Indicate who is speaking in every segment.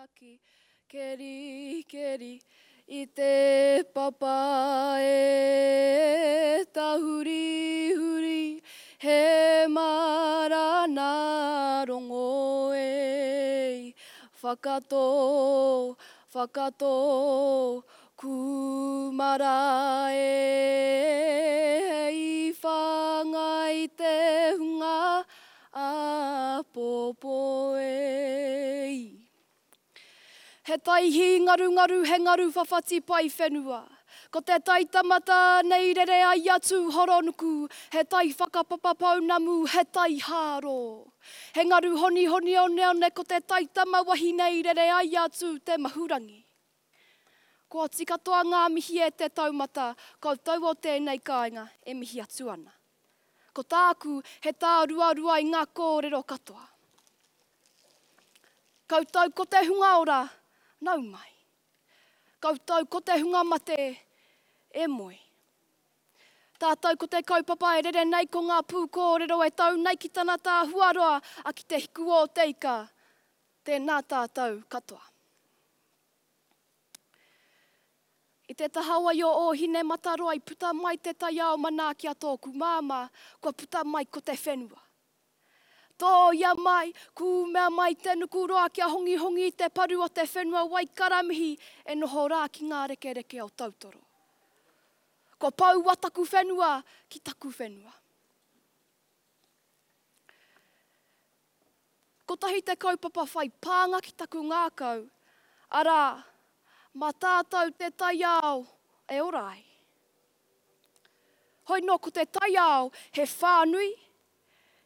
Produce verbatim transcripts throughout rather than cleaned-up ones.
Speaker 1: Ngaki, keri, keri, i te papa e tahuri huri, he marana rongo e. Whakatō, whakatō, kūmara e, hei whāngai te hunga āpōpō e. He tai hīngarungaru, he ngaru whawhati pae whenua. Ko te tai tamata nei rere ai a Tūhoronuku, he tai whakapapa pounamu, he tai hāro. He ngaru honihoni oneone, ko te tai tama wahine i rere ai a Tū te Mahurangi. Kua oti katoa ngā mihi e te taumata, koutou o tēnei kāinga e mihi atu ana. Ko tāku, he tāruarua i ngā kōrero katoa. Koutou ko te hunga ora, nau mai. Koutou ko te hunga mate, e moe. Tātou ko te kaupapa e rere nei ko ngā pūkōrero e tau nei ki tana tāhuaroa a ki te hiku o te ika. Tēnā tātou katoa. I te taha wai o Ōhinemataroa i puta mai te taiao manaaki a tōku māmā, kua puta mai ko te whenua. Tōia mai, kūmea mai te nukuroa kia hongihongi i te paru o te whenua Waikaramihi e noho rā ki ngā rekereke o Tautoro. Kua poua taku whenua ki taku whenua. Kotahi te kaupapa whai pānga ki taku ngākau, arā, mā tātou te taiao e ora ai. Hoi nō ko te taiao he whānui,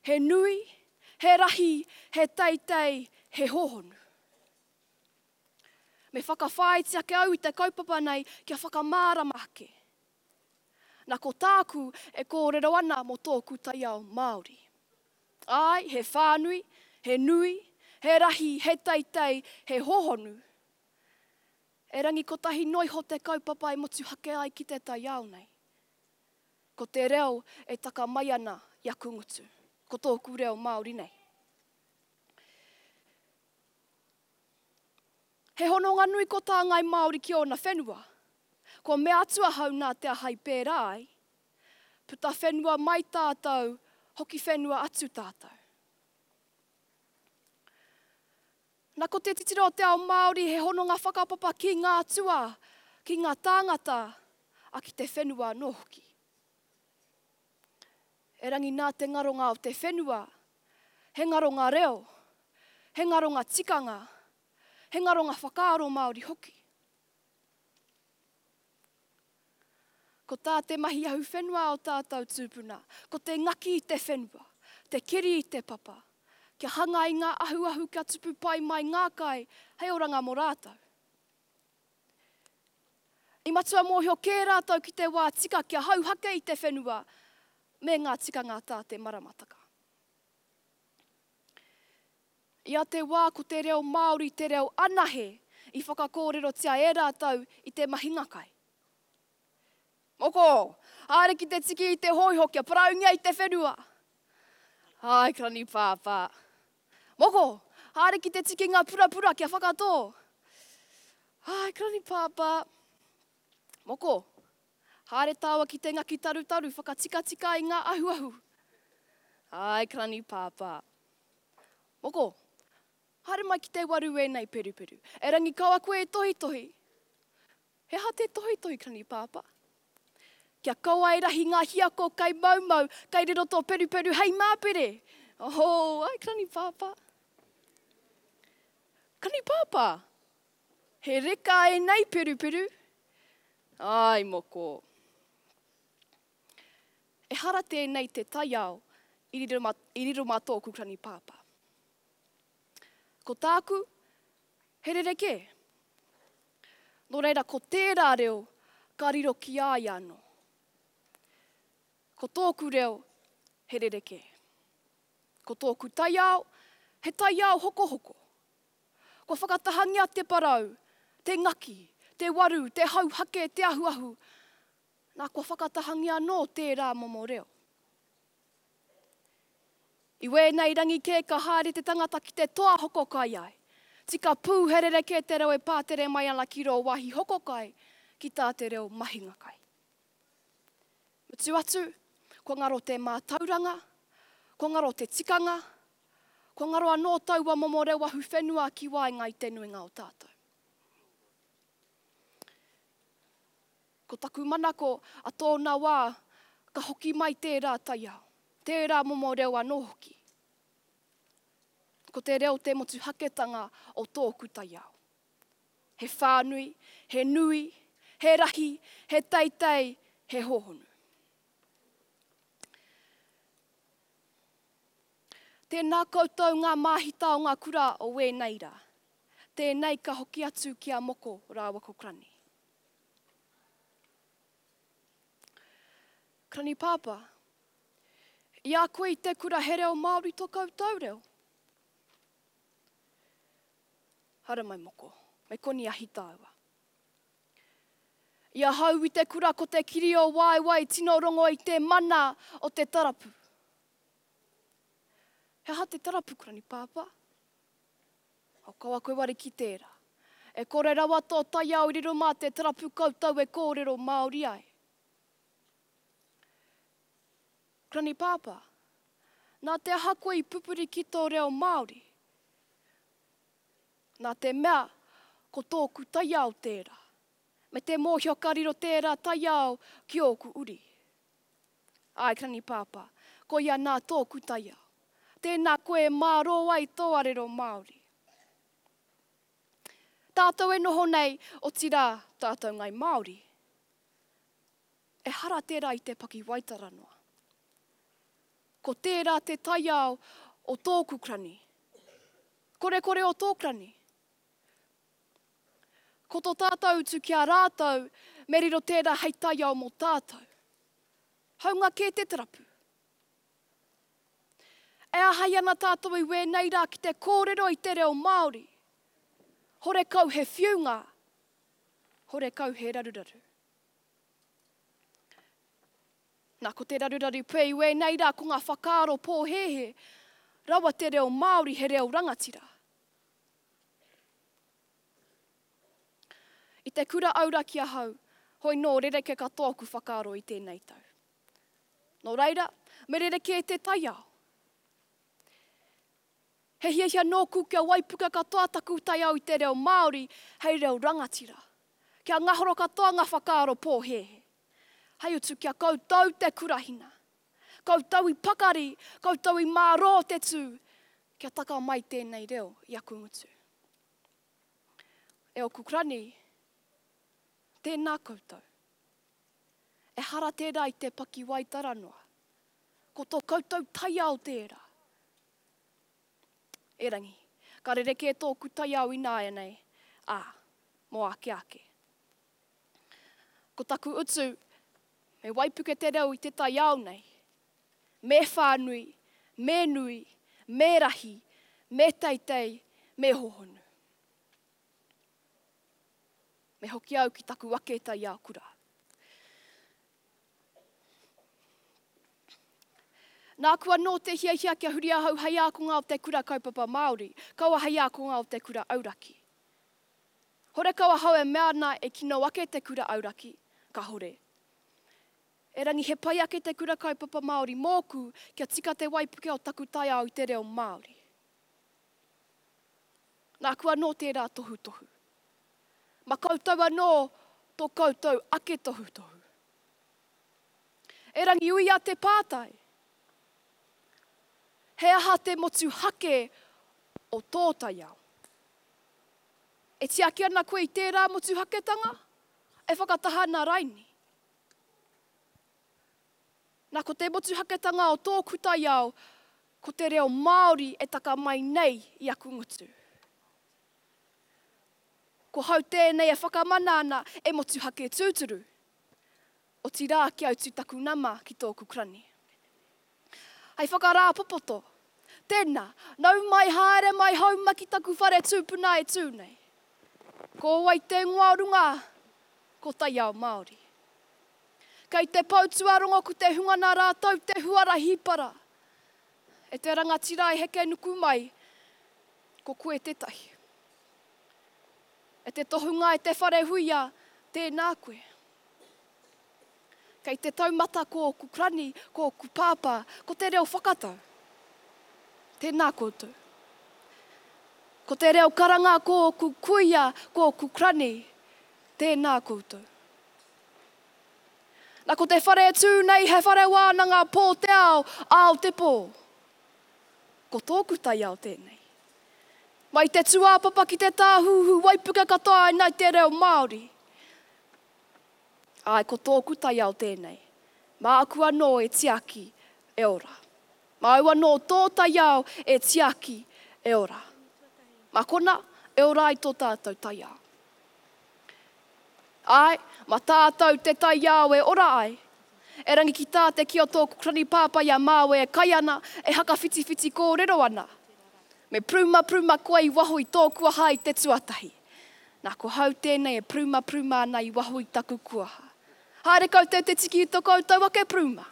Speaker 1: he nui, he rahi, he teitei, he hōhonu. Me whakawhāiti ake au i te kaupapa nei kia whakamārama ake. Na ko tāku e kōrero ana mō tōku taiao Māori. Āe, he whānui, he nui, he rahi, he teitei, he hōhonu. Erangi kotahi noa iho te kaupapa e motuhake ai ki te taiao nei. Ko te reo e taka mai ana i aku ngutu. Ko tōku reo Māori nei. He hononga nui ko tā Ngāi Māori ki ōna whenua. Kua mea atu ahau nā te aha i pērā ai. Puta whenua mai tātou, hoki whenua atu tātou. Na ko te titiro o te ao Māori he hononga whakapapa ki ngā atua, ki ngā tāngata, a ki te whenua anō hoki. Erangi nā te ngaronga o te whenua, he ngaronga reo, he ngaronga tikanga, he ngaronga whakaaro Māori hoki. Ko tā te mahi ahuwhenua o tātou tūpuna, ko te ngaki i te whenua, te keri i te papa, kia hanga i ngā ahuahu kia tupu pai mai ngā kai hei oranga mō rātou. I matua mōhio kē rātou ki te wā tika kia hauhake i te whenua me ngā tikanga tā te maramataka. I a te wā ko te reo Māori te reo anahe i whakakōrerotia e rātou i te mahinga kai. Moko, haere ki te tiki i te hōiho kia paraungia i te whenua. Ai, Karani Pāpā. Moko, haere ki te tiki ngā purapura kia whakatō. Ai, Karani Pāpā. Moko, haere tāua ki te ngaki tarutaru whakatikatika i ngā ahuahu. Ai, Karani Pāpā. Moko, haere mai ki te waru ēnei peruperu. Erangi kaua koe e tohitohi. He aha te tohitohi, Karani Pāpā? Kia kaua e rahi ngā hiako kai maumau, kai riro tō peruperu hei māpere. Oh, ai, Karani Pāpā. Karani Pāpā, he reka ēnei peruperu. Ai, moko. Ehara tēnei te taiao i riro mā, i riro mā tōku Karani Pāpā. Ko tāku, he rerekē. Nō reira, ko tērā reo ka riro ki a ia anō. Ko tōku reo, he rerekē. Ko tōku taiao, he taiao hokohoko. Kua whakatahangia te parau, te ngaki, te waru, te hauhake, te ahuahu. Nā, kua whakatahangia anō tērā momo reo. I wēnei rangi kē ka haere te tangata ki te toa hoko kai ai, Tika pū he rerekē te reo e pātere mai ana ki rō wāhi hoko kai, ki tā te reo mahinga kai. Mutu atu, kua ngaro te mātauranga, kua ngaro te tikanga, kua ngaro anō taua momo reo ahuwhenua ki waenga i te nuinga o tātou. Ko taku manako a tōna wā, ka hoki mai tērā taiao, tērā momo reo anō hoki. Ko te reo te motuhaketanga o tōku taiao. He whānui, he nui, he rahi, he teitei, he hōhonu. Tēnā koutou ngā māhita o ngā kura o wēnei rā. Tēnei ka hoki atu ki a Moko rāua ko Krani. Krani Pāpā, i a koe i te kura he reo Māori tō koutou reo? Haramai Moko, me koni ahi tāua. I ahau i te kura ko te kiri o waewae tino rongo i te mana o te tarapu. He aha te tarapu, Krani Pāpā? O kaua koe ware ki tērā. E kore rawa tō taiao i riro mā te tarapu koutou e kōrero Māori ai. Krani Pāpā, nā te aha koe i pupuri ki tō reo Māori? Nā te mea, ko tōku taiao tērā. Me te mōhio ka riro tērā taiao ki ōku uri. Āe, Krani Pāpā, koia nā tōku taiao. Tēnā koe e mārō ai tō arero Māori. Tātou e noho nei, otirā, tātou ngai Māori. Ehara tērā i te pakiwaitara noa. Ko tērā te taiao o tōku krani. Korekore o tō krani. Ko tō tātou utu ki a rātou, me riro tērā hei taiao mō tātou. Haunga kē te tarapu. E āhei ana tātou i wēnei rā ki te kōrero i te reo Māori. Horekau he whiunga, horekau he raruraru. Nā, ko te raruraru pea i wēnei rā ko ngā whakaaro pōhēhē, rawa te reo Māori he reo rangatira. I te kura auraki ahau, hoi nō rereke katoa oku whakaaro i tēnei tau. Nō reira, me rerekē te taiao. He hiahia nōku kia waipuka katoa taku taiao i te reo Māori hei reo rangatira. Kia ngahoro katoa ngā whakaaro pōhēhē. Hei utu kia koutou te kurahina. Koutou i pakari, koutou i mārō te tū, kia taka mai tēnei reo i aku ngutu. E oku krani, tēnā koutou. Ehara tērā i te pakiwaitara noa. Ko tō koutou taiao tērā. Erangi, ka rerekē tōku taiao ināianei, ā, mō ake ake. Ko taku utu, me waipuke te reo i te taiao nei. Me whānui, me nui, me rahi, me teitei, me hōhonu. Me hoki au ki taku ake taiao kura. Nāku anō te hiahia kia huri ahau hei ākonga o te kura kaupapa Māori, kaua hei ākonga o te kura auraki. Horekau ahau e mea ana e kino ake te kura auraki, kahore. Erangi he pai ake te kura kaupapa Māori mōku kia tika te waipuke o taku taiao i te reo Māori. Nāku anō tērā tohutohu. Ma koutou anō tō koutou ake tohutohu. Erangi uia te pātai. He aha te motuhake o tō taiao? E tiaki ana koe i tērā motuhaketanga? E whakataha ana raini? Nā, ko te motuhaketanga o tōku taiao, ko te reo Māori e taka mai nei i aku ngutu. Ko hau tēnei e whakamana ana e motuhake tūturu. Otirā kia utu taku nama ki tōku krani. Hei whakarāpopoto, tēnā, nau mai haere mai hauma ki taku whare tūpuna e tū nei. Ko wai te ingoa o runga, ko Taiao Māori. Kei te pou tuarongo ko te hunga nā rātou te huarahi para. E te rangatira e heke nuku mai, ko koe tētahi. E te tohunga e te wharehuia, tēnā koe. Kei te taumata ko ōku krani, ko ōku pāpā, ko te reo whakatau. Tēnā koutou. Ko te reo karanga ko ōku kuia, ko ōku krani, tēnā koutou. Na ko te whare e tū nei he whare wānanga pō te ao, ao te pō. Ko tōku taiao tēnei. Mai te tūāpapa ki te tāhuhu waipuke katoa ai nei te reo Māori. Āe, ko tōku taiao tēnei. Māku anō e tiaki, e ora. Māu anō tō taiao e tiaki, e ora. Mā kona, e ora ai tō tātou taiao. Āe, mā tātou te taiao e ora ai. Erangi ki tā te kī o tōku krani pāpā i a māua e kai ana, e hakawhitiwhiti kōrero ana. Me prumapruma koe i waho i tō kuaha i te tuatahi. Nā, ko hau tēnei e prumapruma ana i waho i taku kuaha. Haere koutou te tiki i to koutou ake pruma.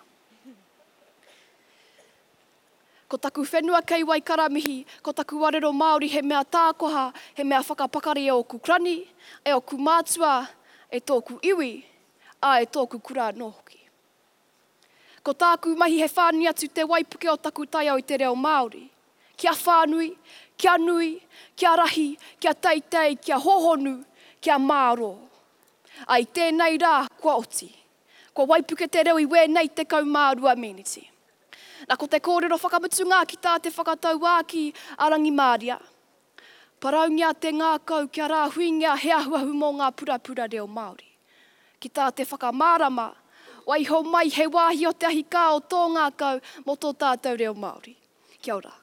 Speaker 1: Ko taku whenua kei Waikaramihi, ko taku arero Māori he mea tākoha, he mea whakapakari e ōku krani, e ōku mātua, e tōku iwi, ā, e tōku kura anō hoki. Ko tāku mahi he whānui atu te waipuke o taku taiao i te reo Māori. Kia whānui, kia nui, kia rahi, kia teitei, kia hōhonu, kia mārō. Ā, i tēnei rā, kua oti. Kua waipuke te reo i wēnei tekau mā rua meneti. Na, ko te kōrero whakamutunga ki tā te whakatauākī a Rangimāria, Paraungia te ngākau kia rāhuingia he ahuahu mō ngā purapura reo Māori. Ki tā te whakamārama, waiho mai he wāhi o te ahikā o tō ngākau mō tō tātou reo Māori. Kia ora.